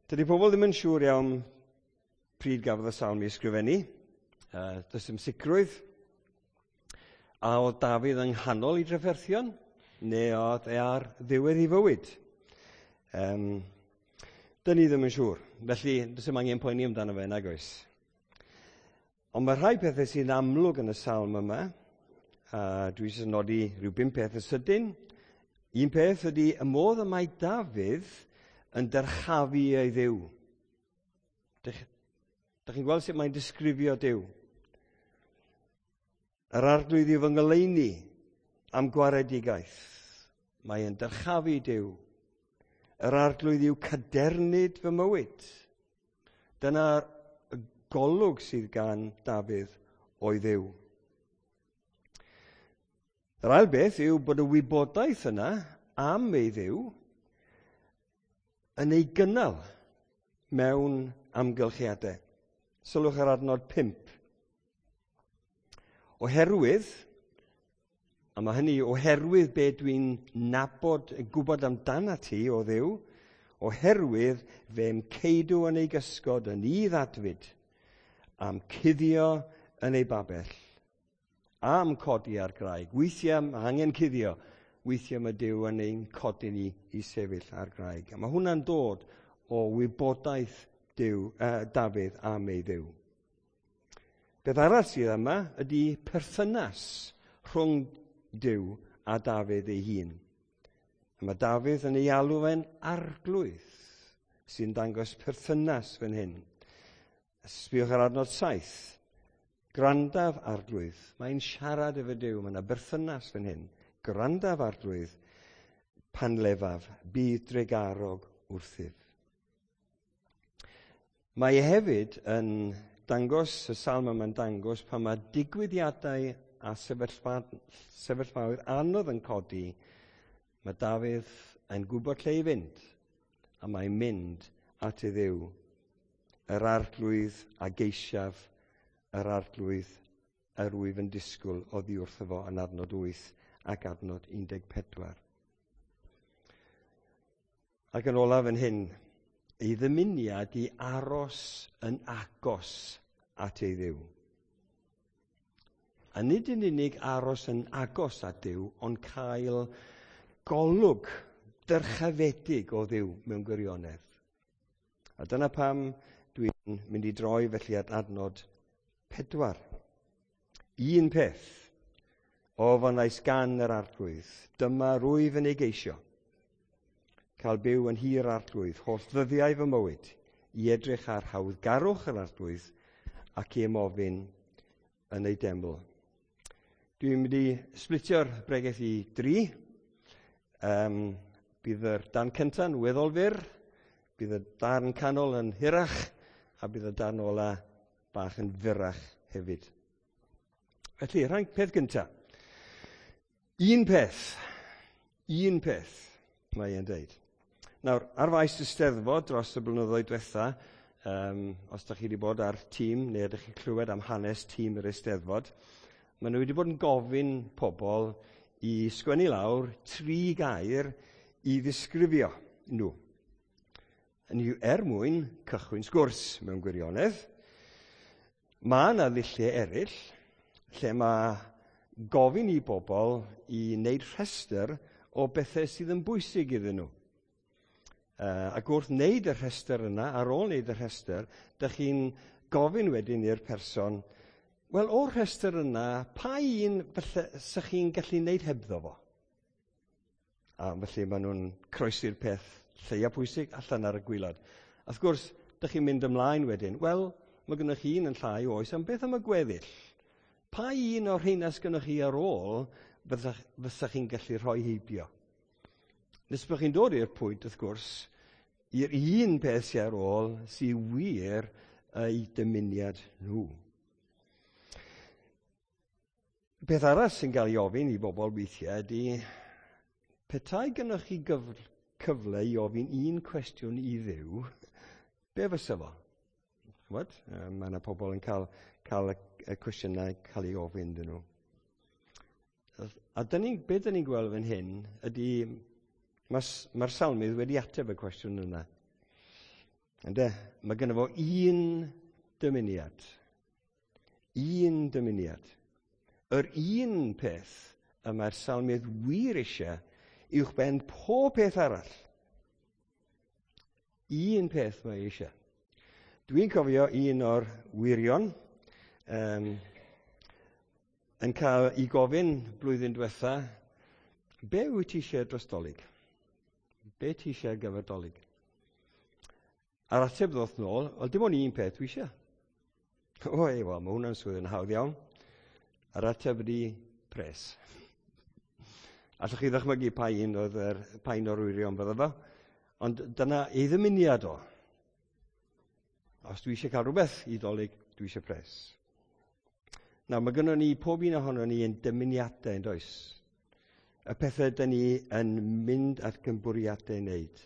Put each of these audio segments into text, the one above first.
Dydy pobl ddim yn siŵr iawn pryd gafodd y salm ei ysgrifennu. Does dim sicrwydd. A oedd Dafydd yng nghanol ei drafferthion, neu oedd e ar ddiwedd ei fywyd? Dyn ni ddim yn siŵr. Felly, does dim angen poeni amdano fe, nag oes. Ond mae rhai pethau sy'n amlwg yn y salm yma, a dwi eisiau nodi rhyw bum peth yn sydyn. Un peth ydy y modd y mae Dafydd yn dyrchafu ei Dduw. Dych chi'n gweld sut mae'n disgrifio Duw? Yr Arglwydd yw fy ngoleuni am gwaredigaeth. Mae yn dyrchafu Duw. Yr Arglwydd yw cadernid fy mywyd. Dyna'r golwg sydd gan Dafydd o'i Dduw. Yr ail beth yw bod y wybodaeth yna am ei Dduw yn ei gynnal mewn amgylchiadau. Sylwch ar adnod 5. Oherwydd, a mae hynny oherwydd be dwi'n nabod, gwybod amdana ti o Dduw, oherwydd fe'm ceidw yn ei gysgod yn udd adfyd, a'm cuddio yn ei babell, a'm codi ar graig. Weithiau mae angen cuddio, weithiau mae Duw yn ein codi ni i sefyll ar graig. A mae hwnna'n dod o wybodaeth Duw, Dafydd am ei Dduw. Beth arall sydd yma ydy perthynas rhwng Duw a Dafydd ei hun. A mae Dafydd yn ei alw fe'n arglwydd, sy'n dangos perthynas fan hyn. Sbiwch ar adnod 7. Gwrandaf arglwydd. Mae'n siarad efo Duw, mae yna berthynas fan hyn. Gwrandaf arglwydd, pan lefaf, bydd drugarog wrthyf. Mae e hefyd yn dangos, y salm yma'n dangos, pan mae digwyddiadau a sefyllfaoedd anodd yn codi, mae Dafydd yn gwybod lle i fynd, a mae'n mynd at ei Dduw. Yr arglwydd a geisiaf, yr arglwydd yr wyf yn disgwyl oddi wrtho fo yn adnod 8 ac adnod 14. Ac yn olaf yn hyn, ei ddymuniad i aros yn agos at ei Dduw. A nid yn unig aros yn agos at Dduw, ond cael golwg dyrchafedig o Dduw mewn gwirionedd. A dyna pam dwi'n mynd i droi felly at adnod 4. Un peth ofynnais gan yr Arglwydd, dyma rwyf yn ei geisio, cael byw yn nhŷ'r Arglwydd holl ddyddiau fy mywyd, i edrych ar hawddgarwch yr Arglwydd ac i ymofyn yn ei deml. Dwi'n mynd i splitio'r bregeth i dri. Bydd yr darn cynta'n weddol fyr, bydd y darn canol yn hirach, a bydd y darn ola bach yn fyrrach hefyd. Felly, rhan peth gynta. Un peth, mae e'n deud. Nawr, ar faes y Steddfod dros y blynyddoedd diwetha, os ydych chi wedi bod ar tîm, neu ydych chi'n clywed am hanes tîm yr Eisteddfod, maen nhw wedi bod yn gofyn pobl i sgwennu lawr 3 gair i ddisgrifio nhw. Yn yw er mwyn cychwyn sgwrs mewn gwirionedd. Mae yna ddulliau eraill lle mae gofyn i bobl i wneud rhestr o bethau sydd yn bwysig iddyn nhw. Ac wrth wneud y rhestr yna, ar ôl wneud y rhestr, dych chi'n gofyn wedyn i'r person, wel, o'r rhestr yna, pa un falle sych chi'n gallu wneud hebddo fo? A felly maen nhw'n croesi'r peth lleia pwysig allan ar y gwaelod. A wrth gwrs, dych chi'n mynd ymlaen wedyn, wel, mae gennych chi un yn llai oes, ond beth am y gweddill? Pa un o'r rheina sgynnoch chi ar ôl fysach chi'n gallu rhoi heibio? Nes bod chi'n dod i'r pwynt, wrth gwrs, i'r un peth sy'n ar ôl sy'n wir eu dymuniad nhw. Peth arall sy'n cael ei ofyn i bobl weithiau ydy, petai gynnoch chi cyfle i ofyn un cwestiwn i Dduw, be fysa fo? Ch'mod? Mae yna pobl yn cael y cwestiynau cael ei ofyn iddyn nhw. A dyn ni, be dyn ni'n gweld fan hyn ydy, mae'r salmydd wedi ateb y cwestiwn yna. Ynde? Mae gynno fo un dymuniad. Un dymuniad. Yr un peth y mae'r salmydd wir eisiau uwchben pob peth arall. Un peth mae eisiau. Dwi'n cofio un o'r wyrion yn cael ei gofyn blwyddyn diwetha, be wyt ti eisiau dros Dolig? Be ti eisiau ar gyfer Dolig? A'r ateb ddoth nôl, wel dim ond un peth dwi eisiau. O, ei, wel, mae hwnna'n swydd yn hawdd iawn. A'r ateb ydi pres. Allwch chi ddychmygu pa un oedd yr, pa un o'r wyrion fydda fo. Ond dyna ei ddymuniad o. Os dwi eisiau cael rhywbeth i Dolig, dwi eisiau pres. Nawr, mae gynnon ni, pob un ohono ni yn dymuniadau, yn does? Y pethau dyn ni yn mynd at gynbwriadau i wneud.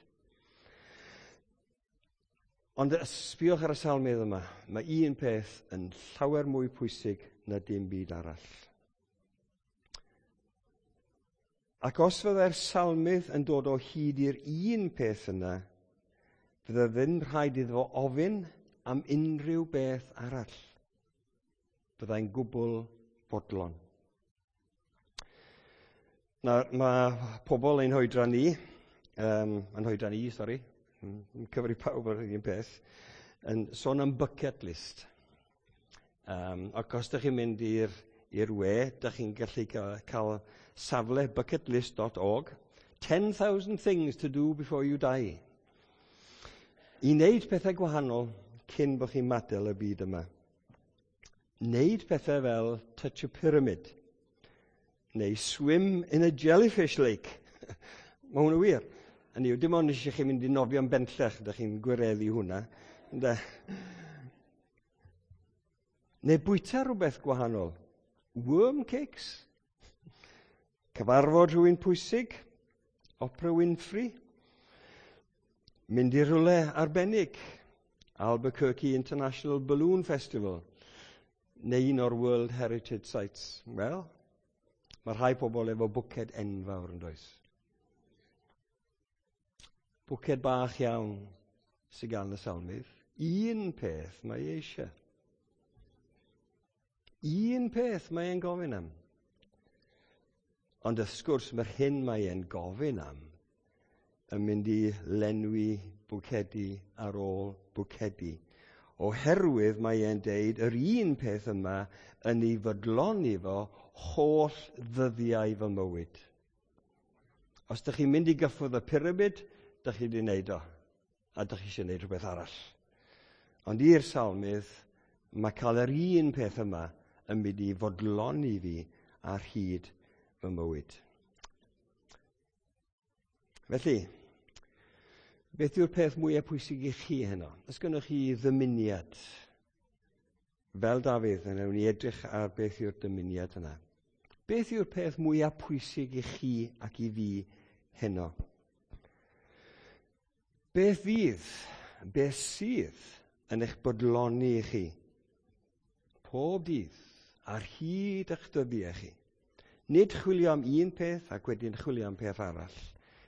Ond sbiwch ar y salmydd yma, mae un peth yn llawer mwy pwysig na dim byd arall. Ac os fyddai'r salmydd yn dod o hyd i'r un peth yna, fydde ddim rhaid iddo fo ofyn am unrhyw beth arall. Byddai'n gwbl fodlon. Nawr, mae pobl ein hoedran ni, yn hoedran ni, sori, yn cyfri pawb ar yr un peth, yn sôn am bucket list. Ac os ydych chi'n mynd i'r we, ydych chi'n gallu cael safle bucketlist.org, 10,000 things to do before you die. I wneud pethau gwahanol cyn bod chi'n madael y byd yma. Wneud pethau fel touch a pyramid, neu swim in a jellyfish lake. Mae hwnna wir. Hynny yw, dim ond eisiau chi mynd i nofio'n benllech, ydych chi'n gwireddu hwnna. Ynde? Neu bwyta rhywbeth gwahanol. Worm cakes. Cyfarfod rhywun pwysig. Oprah Winfrey. Mynd i rhywle arbennig. Albuquerque International Balloon Festival. Neu un o'r World Heritage Sites. Wel, mae rhai pobl efo bwced enfawr yn does. Bwced bach iawn sydd gan y salmydd. Un peth mae ei eisiau. Un peth mae e'n gofyn am. Ond wrth gwrs, mae'r hyn mae e'n gofyn am yn mynd i lenwi bwcedi ar ôl bwcedi. Oherwydd mae e'n deud yr un peth yma yn ei fodloni fo holl ddyddiau fy mywyd. Os ydych chi'n mynd i gyffwrdd y pyramid, ydych chi wedi wneud o. A ydych chi eisiau gwneud rhywbeth arall. Ond i'r salmydd, mae cael yr un peth yma yn mynd i fodloni fi ar hyd fy mywyd. Felly, beth yw'r peth mwyaf pwysig i chi heno? Os gynnoch chi ddymuniad, fel Dafydd, yn ewn ni edrych ar beth yw'r dymuniad yna. Beth yw'r peth mwyaf pwysig i chi ac i fi heno? Beth fydd, beth sydd yn eich bodloni i chi? Pob dydd, ar hyd eich dyddiau chi. Nid chwilio am un peth ac wedyn chwilio am peth arall.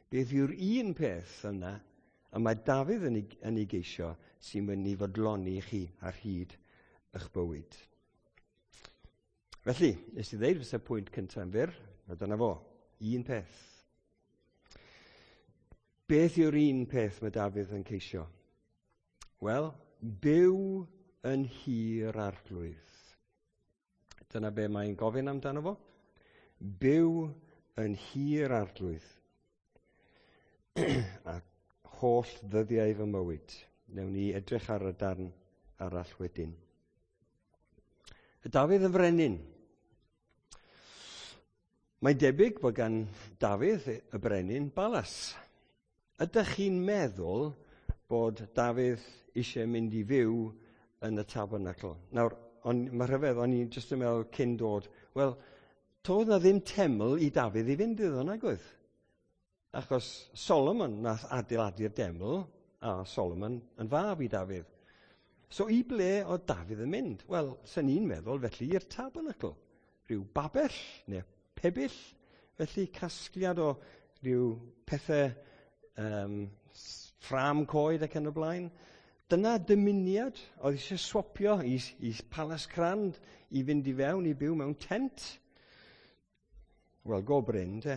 Beth yw'r un peth yna y mae Dafydd yn ei geisio sy'n mynd i fodloni chi ar hyd eich bywyd? Felly, nes i ddeud fysa pwynt cyntaf yn fyr, a dyna fo, un peth. Beth yw'r un peth mae Dafydd yn ceisio? Wel, byw yn nhŷ'r Arglwydd. Dyna be mae'n gofyn amdano fo. Byw yn nhŷ'r Arglwydd. A holl ddyddiau fy mywyd. Newn ni edrych ar y darn arall wedyn. Y Dafydd yn frenin. Mae'n debyg bod gan Dafydd y brenin balas. Ydych chi'n meddwl bod Dafydd eisiau mynd i fyw yn y tabernacl? Nawr, mae rhyfedd, o'n i'n jyst yn meddwl cyn dod, wel, toedd na ddim teml i Dafydd i fynd iddo, nag oedd? Achos Solomon nath adeiladu'r deml, a Solomon yn fab i Dafydd. So i ble oedd Dafydd yn mynd? Wel, sen i'n meddwl felly i'r tabernacl. Rhyw babell neu pebyll, felly casgliad o ryw pethau ffrâm coed ac yn y blaen. Dyna dymuniad oedd eisiau swapio i Palas Crand i fynd i fewn i byw mewn tent. Wel, go brin, te.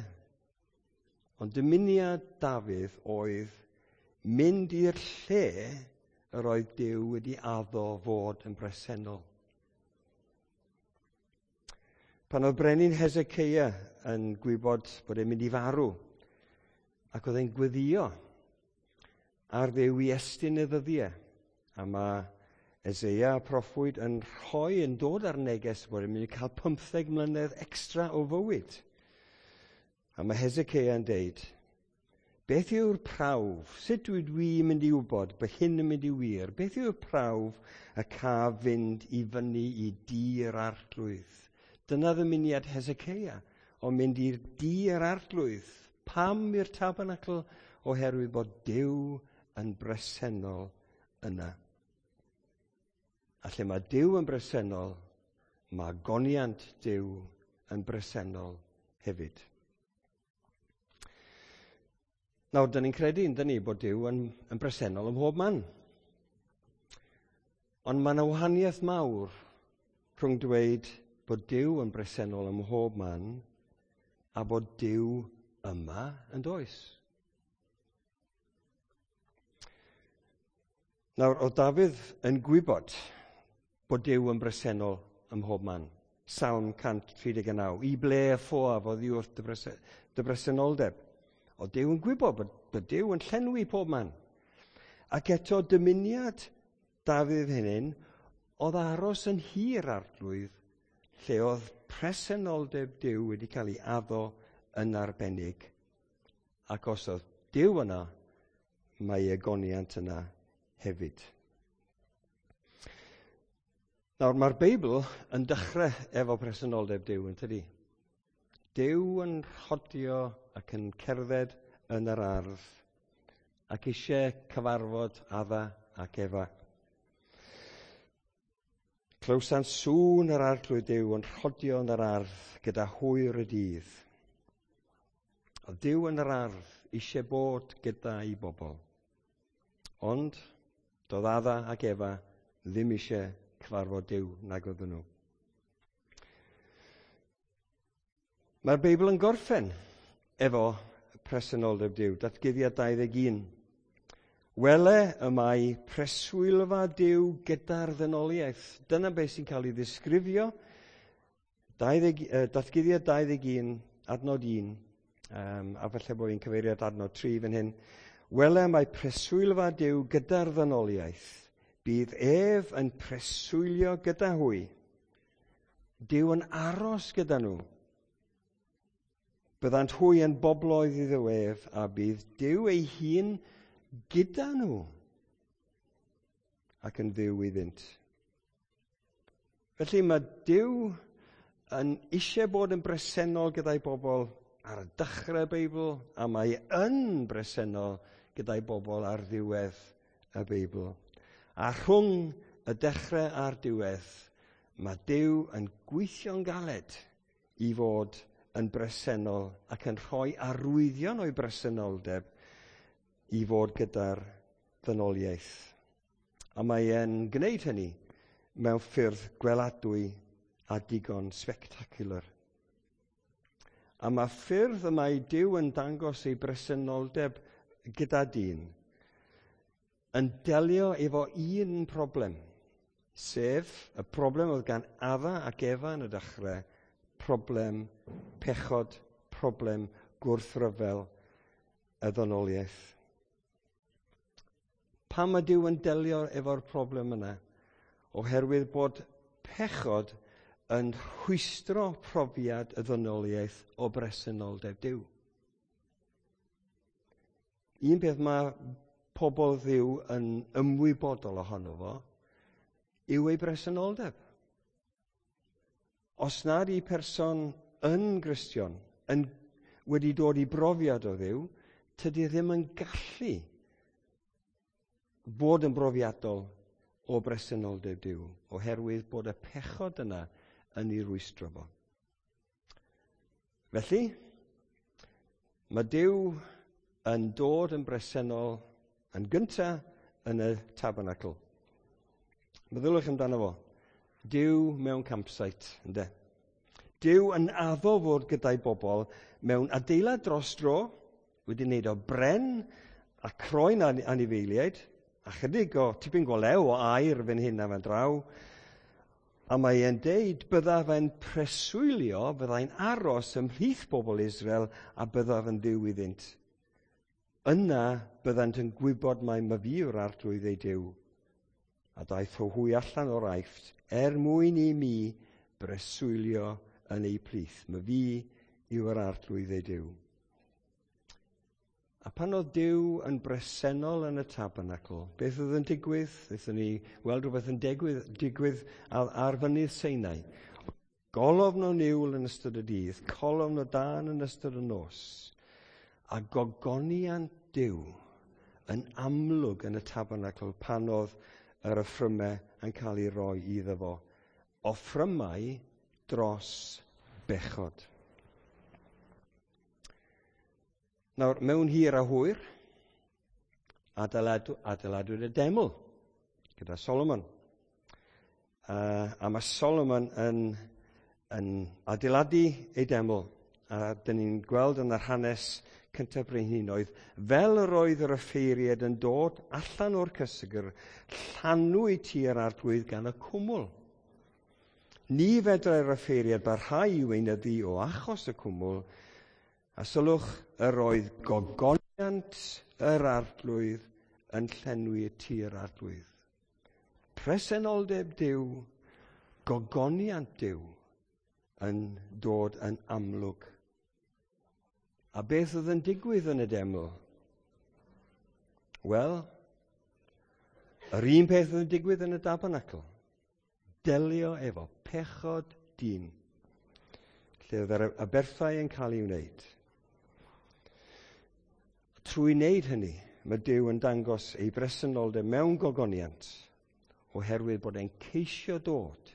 Ond dymuniad Dafydd oedd mynd i'r lle yr oedd Duw wedi addo fod yn bresennol. Pan oedd brenin Hezekiah yn gwybod bod e'n mynd i farw, ac oedd e'n gweddio ar Dduw i estyn y ddyddiau, a mae Eseia y proffwyd yn rhoi yn dod ar neges bod e'n mynd i cael 15 mlynedd extra o fywyd. A mae Hezekiah yn deud, beth yw'r prawf? Sut dwi'n mynd i wybod bod hyn yn mynd i wir? Beth yw'r prawf y caf fynd i fyny i dŷ'r Arglwydd? Dyna ddymuniad Hezekiah o mynd i'r dŷ'r Arglwydd. Pam i'r tabernacl? Oherwydd bod Duw yn bresennol yna. A lle mae Duw yn bresennol, mae goniant Duw yn bresennol hefyd. Nawr, dyn ni'n credu, yndyn ni, bod Duw yn bresennol ym mhob man. Ond mae yna wahaniaeth mawr rhwng dweud bod Duw yn bresennol ym mhob man a bod Duw yma yn does. Nawr, oedd Dafydd yn gwybod bod Duw yn bresennol ym mhob man. Salm 139. I ble y ffoaf oddi wrth dy bresenoldeb? Oedd Duw yn gwybod bod Duw yn llenwi pob man. Ac eto dymuniad Dafydd hynny oedd aros yn hir Arglwydd, lle oedd presenoldeb Duw wedi cael ei addo yn arbennig. Ac os oedd Duw yna, mae egoniant yna hefyd. Nawr, mae'r Beibl yn dechrau efo presenoldeb Duw, yn tydi? Duw yn rhodio ac yn cerdded yn yr ardd ac eisiau cyfarfod Adda ac Efa. Clywsant sŵn yr Arglwydd Duw yn rhodio yn yr ardd gyda hwyr y dydd. Oedd Duw yn yr ardd eisiau bod gyda'i bobl. Ond doedd Adda ac Efa ddim eisiau cyfarfod Duw nag oedden nhw. Mae'r Beibl yn gorffen efo presenoldeb Duw, Datguddiad 21. Wele y mae preswylfa Duw gyda'r ddynoliaeth. Dyna beth sy'n cael ei ddisgrifio. Datguddiad 21, adnod 1, a falle bod fi'n cyfeirio at adnod 3 fan hyn. Wele mae preswylfa Duw gyda'r ddynoliaeth. Bydd ef yn preswylio gyda hwy. Duw yn aros gyda nhw. Byddant hwy yn bobloedd iddo ef, a bydd Duw ei hun gyda nhw ac yn Dduw iddynt. Felly mae Duw yn eisiau bod yn bresennol gyda'i bobl ar y dechrau y Beibl, a mae yn bresennol gyda'i bobl ar ddiwedd y Beibl. A rhwng y dechrau a'r diwedd, mae Duw yn gweithio'n galed i fod yn bresennol ac yn rhoi arwyddion o'i bresenoldeb i fod gyda'r ddynoliaeth. A mae e'n gwneud hynny mewn ffyrdd gweladwy a digon spectacular. A mae ffyrdd y mae Duw yn dangos ei bresenoldeb gyda dyn yn delio efo un problem, sef y problem oedd gan Adda ac Efa yn y dechrau, problem pechod, problem gwrthryfel y ddynoliaeth. Pam mae Duw yn delio efo'r problem yna? Oherwydd bod pechod yn rhwystro profiad y ddynoliaeth o bresenoldeb Duw. Un peth mae pobl Dduw yn ymwybodol ohono fo yw ei bresenoldeb. Os nad i person yn Gristion, yn wedi dod i brofiad o Dduw, tydi ddim yn gallu bod yn brofiadol o bresenoldeb Duw, oherwydd bod y pechod yna yn ei rwystro fo. Felly, mae Duw yn dod yn bresennol yn gyntaf yn y tabernacl. Meddyliwch amdano fo. Duw mewn campsite, ynde? Duw yn addo fod gyda'i bobl mewn adeilad dros dro, wedi wneud o bren a croen anifeiliaid, a chydig o tipyn go lew o aur fan hyn a fan draw. A mae e'n deud byddaf yn preswylio, byddai'n aros ymhlith bobl Israel a byddaf yn Dduw iddynt. Yna byddant yn gwybod mai myfi yw'r Arglwydd eu Duw. A daeth o hwy allan o'r Aifft er mwyn i mi breswylio yn eu plith. Myfi yw'r Arglwydd eu Duw. A pan oedd Duw yn bresennol yn y tabernacl, beth oedd yn digwydd? Wnaethon ni weld rhywbeth yn digwydd ar fynydd Sinai. Golofn o niwl yn ystod y dydd, colofn o dân yn ystod y nos, a gogoniant Duw yn amlwg yn y tabernacl pan oedd yr offrymau yn cael ei roi iddo fo. Offrymau dros bechod. Nawr, mewn hir a hwyr, adeiladwyd y deml gyda Solomon. A mae Solomon yn adeiladu ei deml. A dyn ni'n gweld yn yr hanes cyntaf brenhinoedd, fel yr oedd yr offeiriaid yn dod allan o'r cysegr, llanwyd tŷ'r Arglwydd gan y cwmwl. Ni fedrai'r offeiriaid barhau i weinyddu o achos y cwmwl, a sylwch, yr oedd gogoniant yr Arglwydd yn llenwi y tŷ'r Arglwydd. Presenoldeb Duw, gogoniant Duw yn dod yn amlwg. A beth oedd yn digwydd yn y deml? Wel, yr un peth oedd yn digwydd yn y tabernacl. Delio efo pechod dyn, lle oedd yr aberthau yn cael ei wneud. Trwy wneud hynny, mae Duw yn dangos ei bresenoldeb mewn gogoniant, oherwydd bod e'n ceisio dod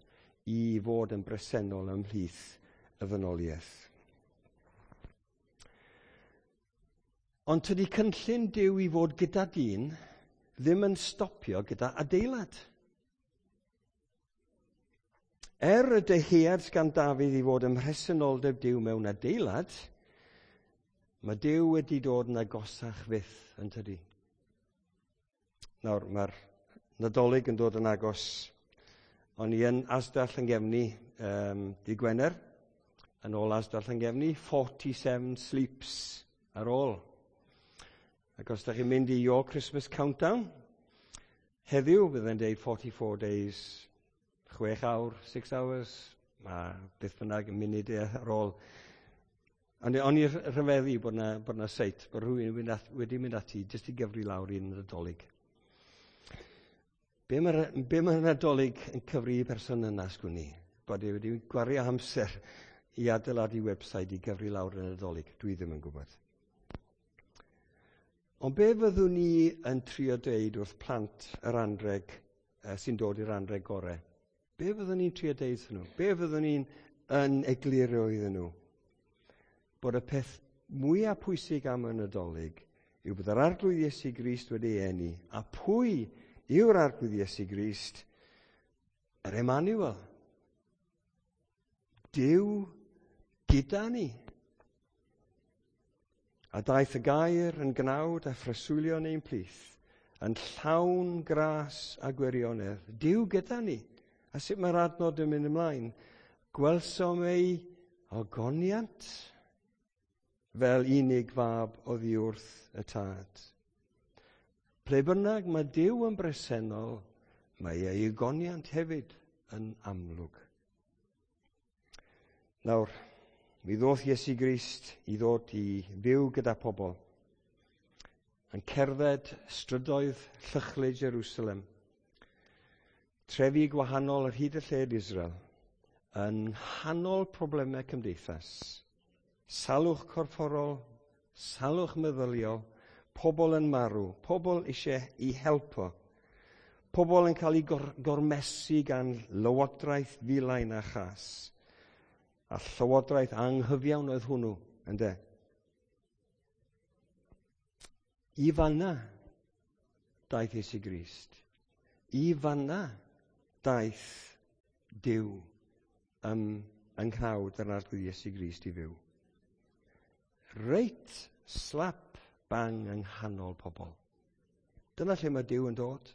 i fod yn bresennol ymhlith y ddynoliaeth. Ond tydi cynllun Duw i fod gyda dyn ddim yn stopio gyda adeilad. Er y dyhead gan Dafydd i fod ym mhresenoldeb Duw mewn adeilad, mae Duw wedi dod yn agosach fyth, yn tydi. Nawr, mae'r Nadolig yn dod yn agos. O'n i yn Asda Llangefni dydd Gwener, yn ôl Asda Llangefni, 47 sleeps ar ôl. Ac os da chi'n mynd i Your Christmas Countdown, heddiw bydd e'n deud 44 days, 6 awr, 6 hours, mae beth bynnag yn munud ar ôl. O'n i rhyfeddu bod na seit, bod rhywun wedi mynd ati jyst i gyfri lawr i'n Nadolig. Be mae'r Nadolig yn cyfri i person yna, sgwn i? Bod e wedi gwario amser i adeiladu website i gyfri lawr y Nadolig. Dwi ddim yn gwybod. Ond be fyddwn ni yn trio deud wrth plant yr anreg sy'n dod i'r anreg gorau? Be fyddwn ni'n trio deud wrthyn nhw? Be fyddwn ni'n yn egluro iddyn nhw? Bod y peth mwyaf pwysig am y Nadolig yw bod yr Arglwydd Iesu Grist wedi ei eni. A pwy yw'r Arglwydd Iesu Grist? Yr Emmanuel. Duw gyda ni. A daeth y gair yn gnawd a phreswylio yn ein plith, yn llawn gras a gwirionedd. Duw gyda ni. A sut mae'r adnod yn mynd ymlaen? Gwelsom ei ogoniant fel unig fab oddi wrth y tad. Ple bynnag mae Duw yn bresennol, mae ei ogoniant hefyd yn amlwg. Nawr, mi ddoth Iesu Grist i ddod i fyw gyda pobl, yn cerdded strydoedd llychlyd Jerusalem, trefi gwahanol ar hyd y lled Israel, yn nghanol problemau cymdeithas, salwch corfforol, salwch meddyliol, pobl yn marw, pobl eisiau i helpo, pobl yn cael eu gormesu gan lywodraeth filain a chas. A llywodraeth anghyfiawn oedd hwnnw, ynde? I fanna daeth Iesu Grist. I fanna daeth Duw yng nghnawd yr Arglwydd Iesu Grist i fyw. Reit slap bang yng nghanol pobl. Dyna lle mae Duw yn dod.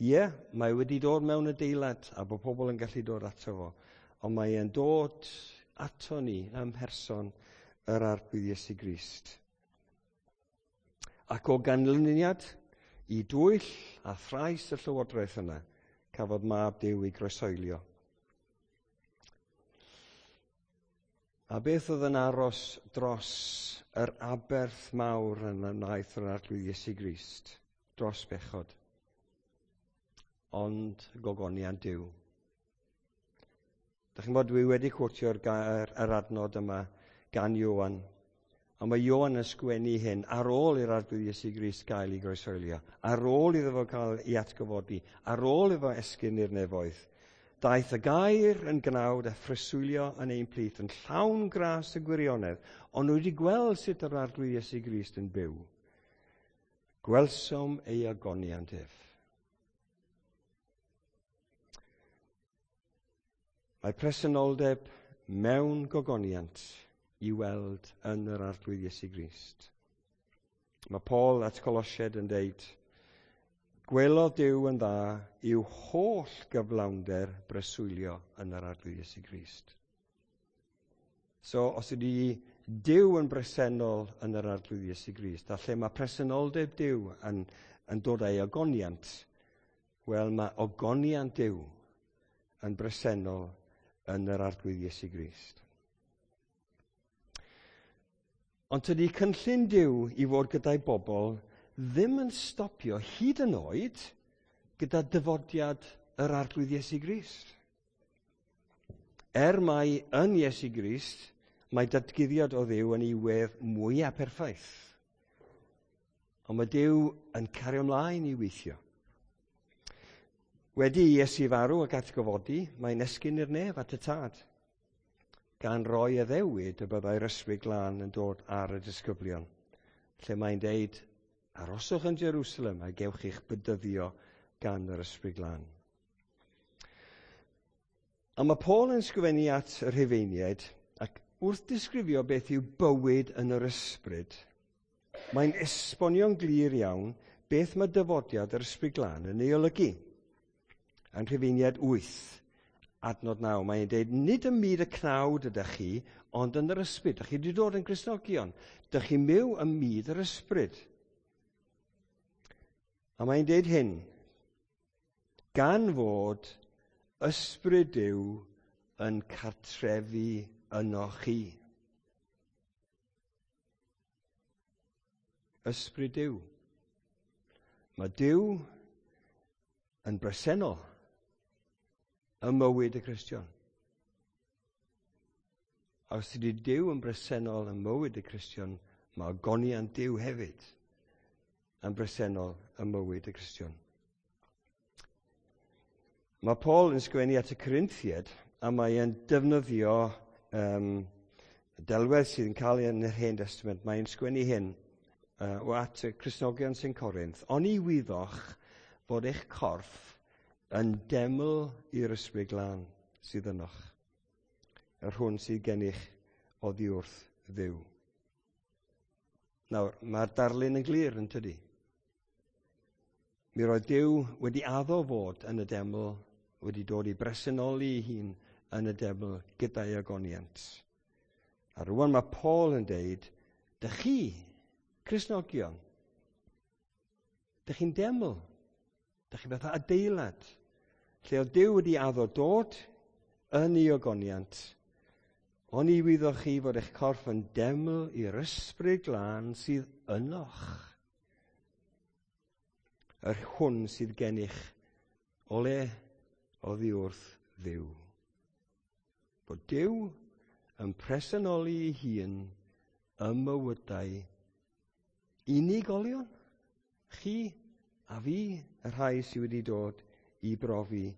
Ie, mae wedi dod mewn adeilad a bod pobl yn gallu dod ato fo. Ond mae e'n dod ato ni ym mherson yr Arglwydd Iesu Grist. Ac o ganlyniad i dwyll a thrais y llywodraeth yna, cafodd mab Duw ei groesoelio. A beth oedd yn aros dros yr aberth mawr yn wnaeth yr Arglwydd Iesu Grist, dros bechod? Ond gogoniant Duw. Dach chi'n bod, dwi wedi cwotio'r yr adnod yma gan Ioan. Ond mae Ioan yn sgwennu hyn ar ôl i'r Arglwydd Iesu Grist gael ei groesoelio, ar ôl iddo fo cael ei atgyfodi, ar ôl iddo esgyn i'r nefoedd. Daeth y gair yn gnawd a phreswylio yn ein plith, yn llawn gras y gwirionedd, ond nhw wedi gweld sut yr Arglwydd Iesu Grist yn byw. Gwelsom ei ogoniant ef. Mae presenoldeb mewn gogoniant i weld yn yr Arglwydd Iesu Grist. Mae Paul at Colosiaid yn deud, gwelodd Duw yn dda i'w holl gyflawnder breswylio yn yr Arglwydd Iesu Grist. So, os ydy Duw yn bresennol yn yr Arglwydd Iesu Grist, a lle mae presenoldeb Duw yn dod â'i ogoniant, wel, mae ogoniant Duw yn bresennol yn yr Arglwydd Iesu Grist. Ond tydi cynllun Duw i fod gyda'i bobl ddim yn stopio hyd yn oed gyda dyfodiad yr Arglwydd Iesu Grist. Er mai yn Iesu Grist mae datguddiad o Dduw yn ei wedd mwyaf perffaith. Ond mae Duw yn cario ymlaen i weithio. Wedi i Iesu farw ac atgyfodi, mae'n esgyn i'r nef at y Tad, gan roi addewid y byddai'r Ysbryd Glân yn dod ar y disgyblion, lle mae'n deud, aroswch yn Jerusalem a gewch eich bydyddio gan yr Ysbryd Glân. A mae Paul yn sgrifennu at y Rhufeiniaid, ac wrth disgrifio beth yw bywyd yn yr ysbryd, mae'n esbonio'n glir iawn beth mae dyfodiad yr Ysbryd Glân yn ei olygu. Yn Rhufeiniaid 8, adnod 9, mae'n deud, nid ym myd y cnawd ydych chi, ond yn yr ysbryd. Dych chi wedi dod yn Gristnogion. Dych chi'n byw ym myd yr ysbryd. A mae'n deud hyn, gan fod ysbryd Duw yn cartrefu yno chi. Ysbryd Duw. Mae Duw yn bresennol ym mywyd y Cristion. A os ydy Duw yn bresennol ym mywyd y Cristion, mae ogoniant Duw hefyd yn bresennol ym mywyd y Cristion. Mae Paul yn sgwennu at y Corinthiaid a mae e'n defnyddio delwedd sydd yn cael ei yn yr Hen Testament. Mae'n sgwennu hyn o at y Cristnogion sy'n Corinth. Oni wyddoch fod eich corff yn deml i'r Ysbryd Glân sydd ynoch, yr hwn sydd gennych oddi wrth Dduw. Nawr, mae'r darlun yn glir yn tydi? Mi roedd Duw wedi addo fod yn y deml, wedi dod i bresenoli ei hun yn y deml gyda'i ogoniant. A rwan mae Paul yn deud, dych chi, Cristnogion, dych chi'n deml, dych chi fatha adeilad, lle oedd Duw wedi addo dod yn ei ogoniant. Oni wyddoch chi fod eich corff yn deml i'r Ysbryd Glân sydd ynoch, yr hwn sydd gennych o le oddi wrth Dduw. Bod Duw yn presenoli ei hun ym mywydau unigolion, chi a fi, y rhai sydd wedi dod i brofi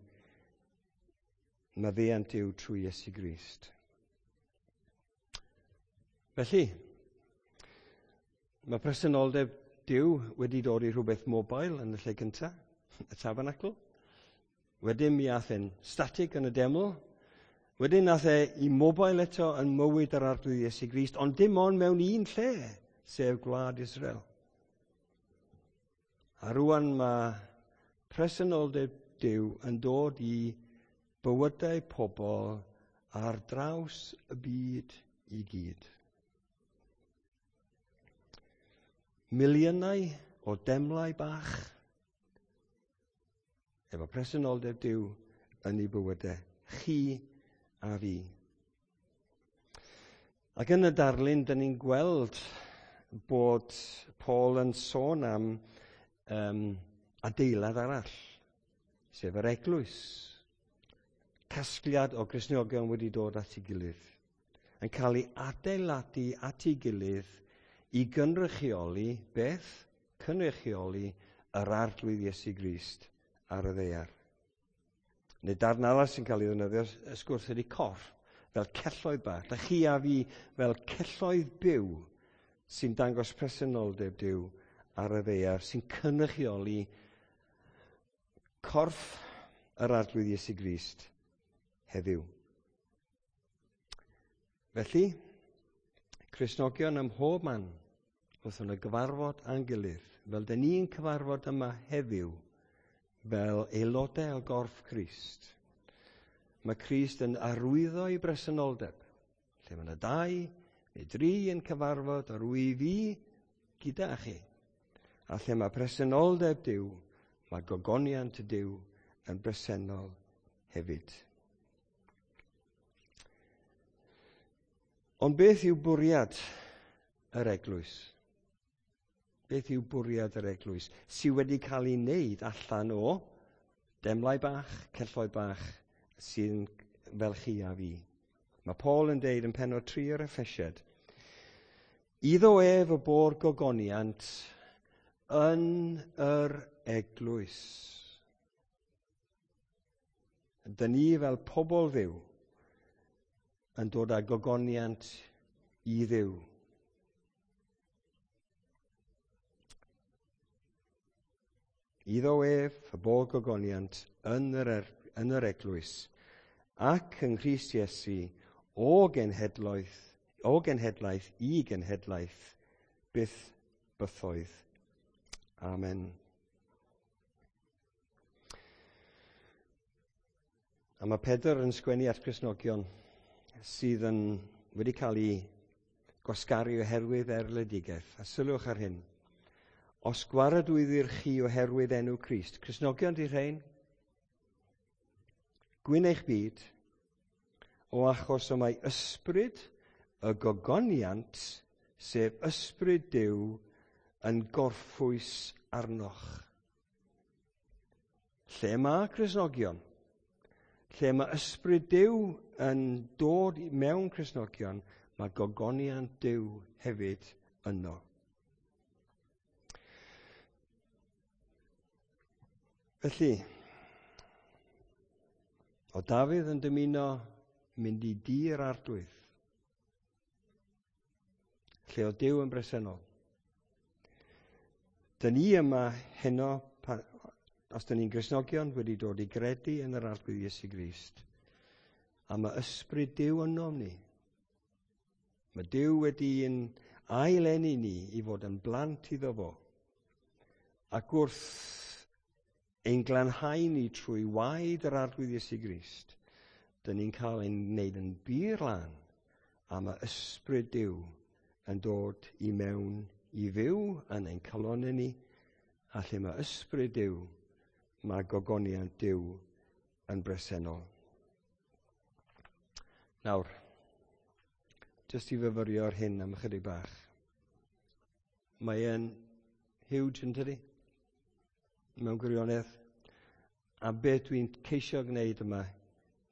Maddeuant Duw trwy Iesu Grist. Felly, mae presenoldeb Duw wedi dod i rhywbeth mobile yn y lle cyntaf, y tabernacl. Wedyn mi ath e'n static yn y deml. Wedyn nath e i mobile eto yn mywyd yr Arglwydd Iesu Grist, ond dim ond mewn un lle, sef gwlad Israel. A rwan mae presenoldeb Duw yn dod i bywydau pobl ar draws y byd i gyd. Miliynau o demlau bach efo presenoldeb Duw yn ei bywydau, chi a fi. Ac yn y darlun, dyn ni'n gweld bod Paul yn sôn am adeilad arall, sef yr eglwys. Casgliad o Gristnogion wedi dod at ei gilydd, yn cael ei adeiladu at ei gilydd i gynrychioli beth? Cynrychioli yr Arglwydd Iesu Grist ar y ddaear. Neu darn arall sy'n cael ei ddefnyddio, y sgwrs ydy corff, fel celloedd bach. Da chi a fi fel celloedd byw sy'n dangos presenoldeb Duw ar y ddaear, sy'n cynrychioli corff yr Arglwydd Iesu Grist heddiw. Felly, Cristnogion ym mhob man, wrth yn y gyfarfod â'n gilydd, fel dyn ni'n cyfarfod yma heddiw, fel aelodau o gorff Crist. Mae Crist yn arwyddo ei bresenoldeb. Lle mae yna 2 neu 3 yn cyfarfod, yr wyf fi gyda chi. A lle mae presenoldeb Duw, mae gogoniant Duw yn bresennol hefyd. Ond beth yw bwriad yr eglwys? Beth yw bwriad yr eglwys sydd wedi cael ei wneud allan o demlau bach, celloedd bach sy'n fel chi a fi? Mae Paul yn deud yn pennod 3 o'r Effesiad, iddo ef y bo'r gogoniant yn yr eglwys. Dyn ni fel pobl Dduw yn dod â gogoniant i Dduw. Iddo ef y bo gogoniant yn yr eglwys ac yng Nghrist Iesu o genhedlaeth i genhedlaeth, byth bythoedd. Amen. A mae Pedr yn sgwennu at Gristnogion sydd yn wedi cael ei gwasgaru oherwydd erledigaeth. A sylwch ar hyn. Os gwaradwyddir chi oherwydd enw Crist, Cristnogion di rhain, gwyn eich byd, o achos y mae ysbryd y gogoniant, sef ysbryd Duw, yn gorffwys arnoch. Lle mae Cristnogion, lle mae ysbryd Duw yn dod mewn Cristnogion, mae gogoniant Duw hefyd yno. Felly, o Dafydd yn dymuno mynd i dŷ'r Arglwydd, lle o Duw yn bresennol. Dyn ni yma heno, os dyn ni'n Gristnogion, wedi dod i gredu yn yr Arglwydd Iesu Grist, a mae ysbryd Duw ynom ni. Mae Duw wedi'n aileni ni i fod yn blant iddo fo. Ac wrth ein glanhau ni trwy waed yr Arglwydd Iesu Grist, dyn ni'n cael ein wneud yn bur lân, a mae ysbryd Duw yn dod i mewn i fyw yn ein calonnau ni, a lle mae ysbryd Duw, mae gogoniant Duw yn bresennol. Nawr, jyst i fyfyrio ar hyn am ychydig bach. Mae e'n huge, yn tydi? Mewn gwirionedd. A beth dwi'n ceisio gwneud yma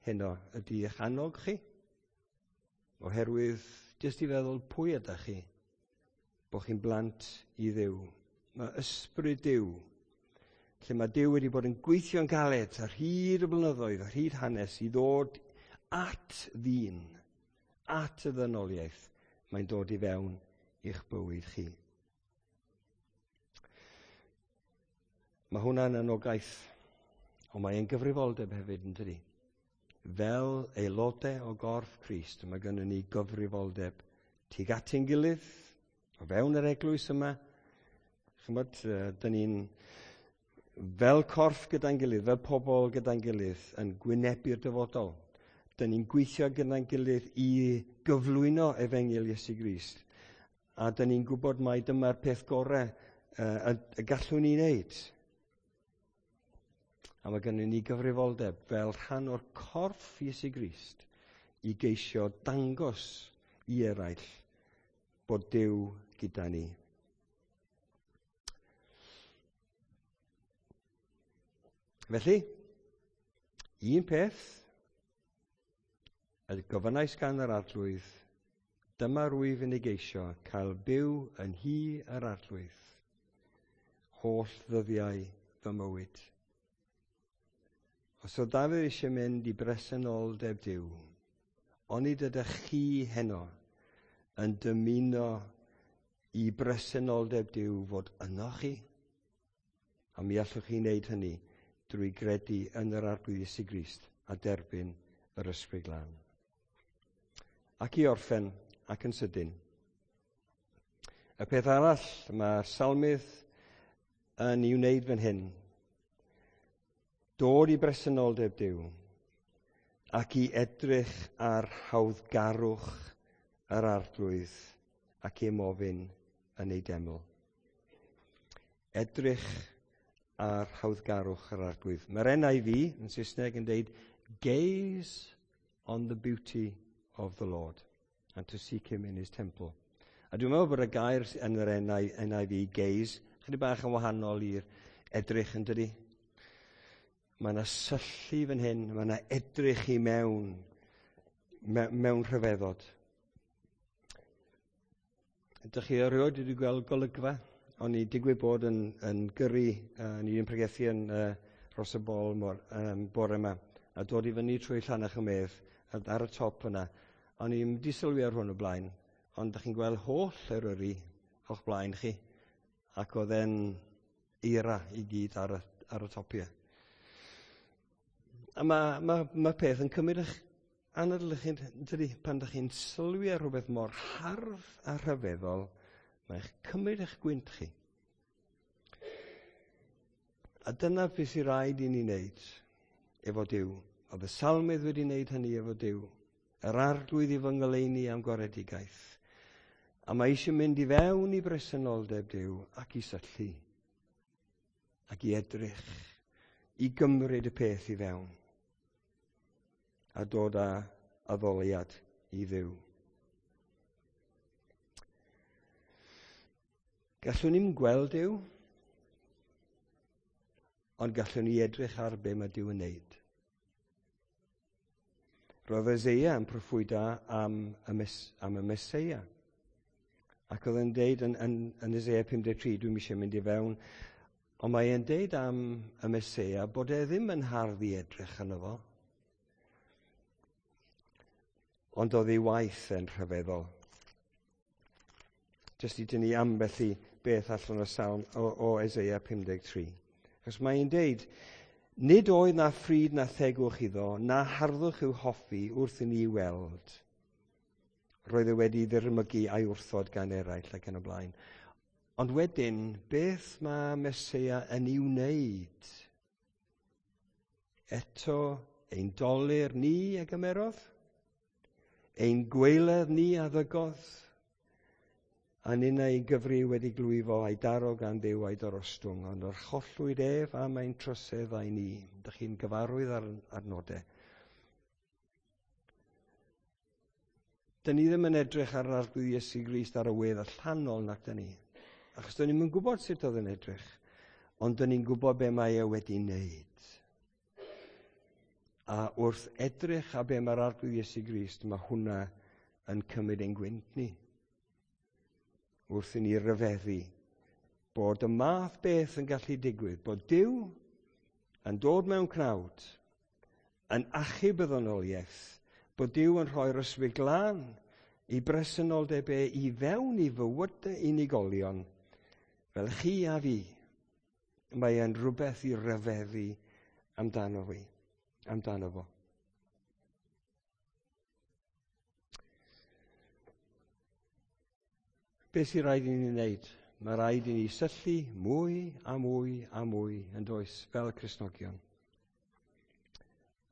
heno ydy eich annog chi, oherwydd jyst i feddwl pwy ydych chi, bod chi'n blant i Dduw. Mae ysbryd Duw. Lle mae Duw wedi bod yn gweithio'n galed ar hyd y blynyddoedd, ar hyd hanes, i ddod at ddyn, at y ddynoliaeth, mae'n dod i fewn i'ch bywyd chi. Mae hwnna'n anogaeth, ond mae'n gyfrifoldeb hefyd, yn dydi? Fel aelodau o gorff Crist, mae gennym ni gyfrifoldeb tuag at ein gilydd, o fewn yr eglwys yma. Chymod, dyn ni'n fel corff gyda'n gilydd, fel pobl gyda'n gilydd, yn gwynebu'r dyfodol. Dyn ni'n gweithio gyda'n gilydd i gyflwyno efengyl Iesu Grist. A dyn ni'n gwybod mai dyma'r peth gorau y gallwn ni wneud. A mae gennym ni gyfrifoldeb fel rhan o'r corff Iesu Grist i geisio dangos i eraill bod Duw gyda ni. Felly, un peth y gofynnais gan yr Arglwydd, dyma rwyf yn ei geisio cael byw yn nhŷ yr Arglwydd, holl ddyddiau fy mywyd. Os oedd Dafydd eisiau mynd i bresenoldeb Duw, onid ydych chi heno yn dymuno i bresenoldeb Duw fod yno chi? A mi allwch chi wneud hynny drwy gredu yn yr Arglwydd Iesu Grist a derbyn yr Ysbryd Glân. Ac i orffen, ac yn sydyn, y peth arall mae'r salmydd yn ei wneud fan hyn, dod i bresenoldeb Duw ac i edrych ar hawddgarwch yr Arglwydd ac i ymofyn yn ei deml. Edrych ar hawddgarwch yr Arglwydd. Mae'r NIV yn Saesneg yn deud, gaze on the beauty of the Lord and to seek him in his temple. A dwi'n meddwl bod y gair yn yr NIV, gaze, chydig bach yn wahanol i'r edrych, yn dydi? Mae yna syllu fan hyn, mae yna edrych i mewn, mewn rhyfeddod. Ydych chi erioed wedi gweld golygfa? O'n i digwydd bod yn gyrru, ni yn pregethu yn Rhos y Bol bore yma, a dod i fyny trwy Llanach y Medd, ar y top yna. O'n i'n wedi sylwi ar hwn o blaen, ond ydych chi'n gweld holl Eryri o'ch blaen chi, ac oedd e'n eira i gyd ar y topiau. A mae peth yn cymryd eich anadl chi, dydy, pan ydych chi'n sylwi ar rhywbeth mor hardd a rhyfeddol, mae'n cymryd eich gwynt chi. A dyna beth sy'n rhaid i ni wneud efo Duw. Oedd y salmydd wedi wneud hynny efo Duw. Yr Arglwydd i fy ngoleuni am gwaredigaeth. A mae eisiau mynd i fewn i bresenoldeb Duw ac i syllu. Ac i edrych. I gymryd y peth i fewn. A dod â addoliad i Dduw. Gallwn ni'm gweld Duw, ond gallwn ni edrych ar be mae Duw yn wneud. Roedd Eseia yn proffwydo am y Meseia. Ac oedd e'n deud yn Eseia 53, dwi'm eisiau mynd i fewn, ond mae e'n deud am y Meseia bod e ddim yn hardd i edrych arno fo. Ond oedd ei waith yn rhyfeddol. Jyst i dynnu ambell i beth allan o salm o Eseia 53. Achos mae'n deud, nid oedd na phryd na thegwch iddo, na harddwch i'w hoffi wrth i ni weld. Roedd e wedi ddirmygu a'i wrthod gan eraill ac yn y blaen. Ond wedyn, beth mae Meseia yn ei wneud? Eto, ein dolur ni a gymerodd, ein gwaeledd ni a ddygodd, a ninnau ei gyfri wedi glwyfo a'i daro gan Dduw a'i dorostwng, ond archollwyd ef am ein troseddau ni. Dych chi'n gyfarwydd ar nodau. Dyn ni ddim yn edrych ar yr Arglwydd Iesu Grist ar y wedd allanol nac dyn ni. Achos dyn ni'm yn gwybod sut oedd yn edrych, ond dyn ni'n gwybod be mae e wedi wneud. A wrth edrych ar be mae'r Arglwydd Iesu Grist, mae hwnna yn cymryd ein gwynt ni. Wrth i ni ryfeddu Bod y math beth yn gallu digwydd, bod Duw yn dod mewn cnawd, yn achub y ddynoliaeth, bod Duw yn rhoi'r Ysbryd Glân i bresenoldeb e i fewn i fywydau unigolion, fel chi a fi. Mae e'n rhywbeth i ryfeddu amdano fi, amdano fo. Be sy'n rhaid i ni wneud? Mae rhaid i ni syllu mwy a mwy a mwy yn does fel Cristnogion.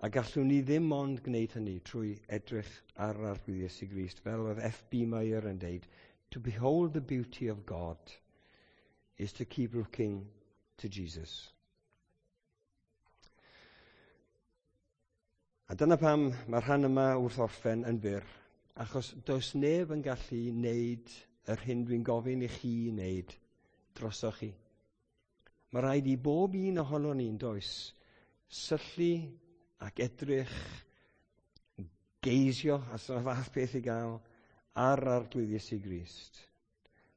A gallwn ni ddim ond gwneud hynny trwy edrych ar yr Arglwydd Iesu Grist, fel oedd F.B. Meyer yn deud, to behold the beauty of God is to keep looking to Jesus. A dyna pam mae'r rhan yma wrth orffen yn fyr, achos does neb yn gallu wneud yr hyn dwi'n gofyn i chi wneud drosoch chi. Mae rhaid i bob un ohono ni'n does syllu ac edrych, geisio, as yna fath beth i gael, ar Arglwydd Iesu Grist.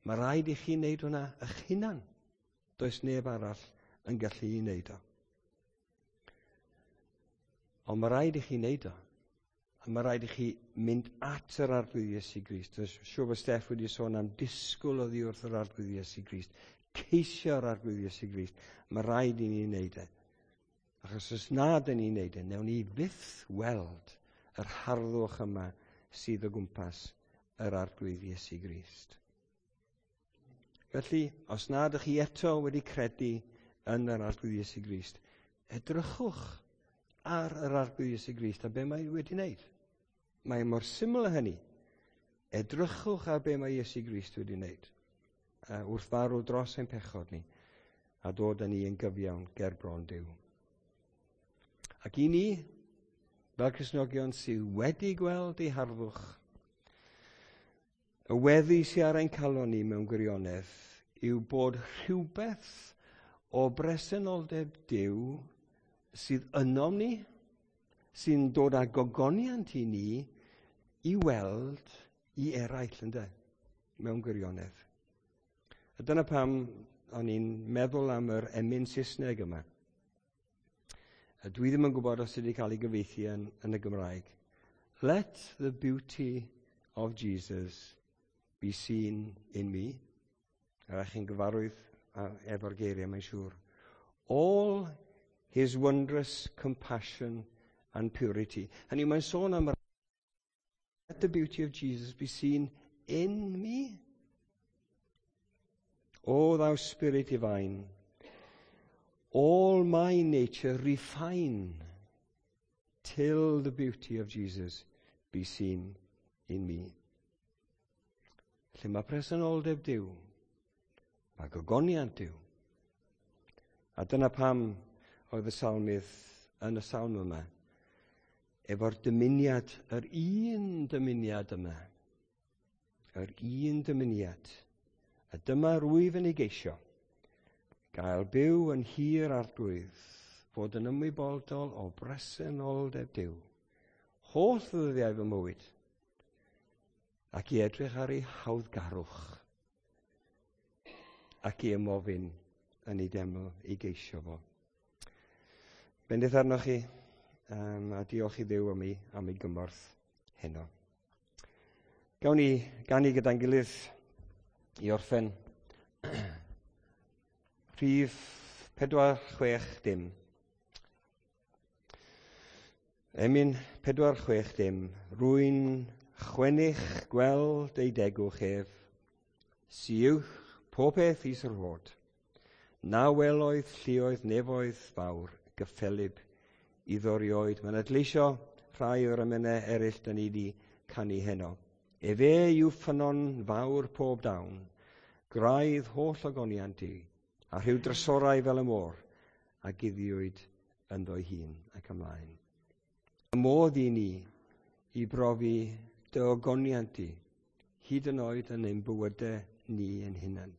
Mae rhaid i chi wneud hwnna eich hunan. Does neb arall yn gallu i wneud o. Ond mae rhaid i chi wneud o. A mae rhaid i chi mynd at yr Arglwydd Iesu Grist. Dwi'n siŵr bod Steff wedi sôn am disgwyl oddi wrth yr Arglwydd Iesu Grist. Ceisio'r Arglwydd Iesu Grist. Mae rhaid i ni wneud e. Achos os nad yn ni'n wneud e, newn ni fyth weld yr harddwch yma sydd o gwmpas yr Arglwydd Iesu Grist. Felly, os nad ydych chi eto wedi credu yn yr Arglwydd Iesu Grist, edrychwch ar yr Arglwydd Iesu Grist a be mae wedi wneud. Mae mor syml â hynny. Edrychwch ar be mae Iesu Grist wedi wneud wrth farw dros ein pechod ni a dod â ni yn gyfiawn ger bron Duw. Ac i ni, fel Cristnogion sydd wedi gweld ei harddwch, y weddi sydd ar ein calon ni mewn gwirionedd yw bod rhywbeth o bresenoldeb Duw sydd ynom ni, sy'n dod â gogoniant i ni, i weld i eraill, ynde, mewn gwirionedd. A dyna pam o'n i'n meddwl am yr emyn Saesneg yma. A dwi ddim yn gwybod os ydy cael ei gyfieithu yn y Gymraeg. Let the beauty of Jesus be seen in me. A chi'n gyfarwydd efo'r geiriau, mae'n siŵr. All his wondrous compassion and purity. Hynny, mae'n sôn am let the beauty of Jesus be seen in me. O thou Spirit divine, all my nature refine till the beauty of Jesus be seen in me. Lle mae presenoldeb Duw, mae gogoniant Duw. A dyna pam oedd y salmydd yn y salm yma, efo'r dymuniad, yr un dymuniad yma, yr un dymuniad, a dyma rwyf yn ei geisio, gael byw yn hir Arglwydd, fod yn ymwybodol o bresenoldeb Duw, holl ddyddiau fy mywyd, ac i edrych ar ei hawddgarwch, ac i ymofyn yn ei deml i geisio fo. Bendith arnoch chi, a diolch i Dduw am ei gymorth heno. Gawn ni ganu gyda'n gilydd i orffen. Rhif 460. Emyn 460. Rwy'n chwennych gweld ei degwch ef, sy uwch pob peth is yr hod. Na weloedd lluoedd nefoedd fawr gyffelyb iddo rioed. Mae'n adleisio rhai o'r emynau eraill da ni wedi canu heno. Efe yw ffynnon fawr pob dawn, graidd holl ogoniant i, a rhyw drysorau fel y môr, a guddiwyd ynddo'i hun ac ymlaen. Y modd i ni i brofi dy ogoniant i, hyd yn oed yn ein bywydau ni yn hunain.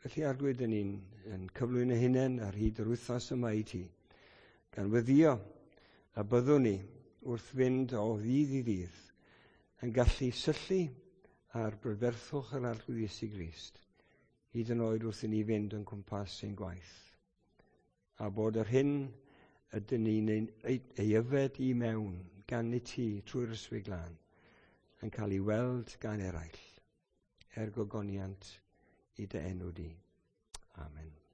Felly Arglwydd, dyn ni'n yn cyflwyno hunain ar hyd yr wythnos yma i ti, gan weddïo a byddwn ni wrth fynd o ddydd i ddydd yn gallu syllu ar brydferthwch yr Arglwydd Iesu Grist Hyd yn oed wrth i ni fynd yn cwmpas ein gwaith. A bod yr hyn ydyn ni'n ei yfed i mewn gan i ti trwy'r Ysbryd Glân yn cael ei weld gan eraill er gogoniant i dy enw di. Amen.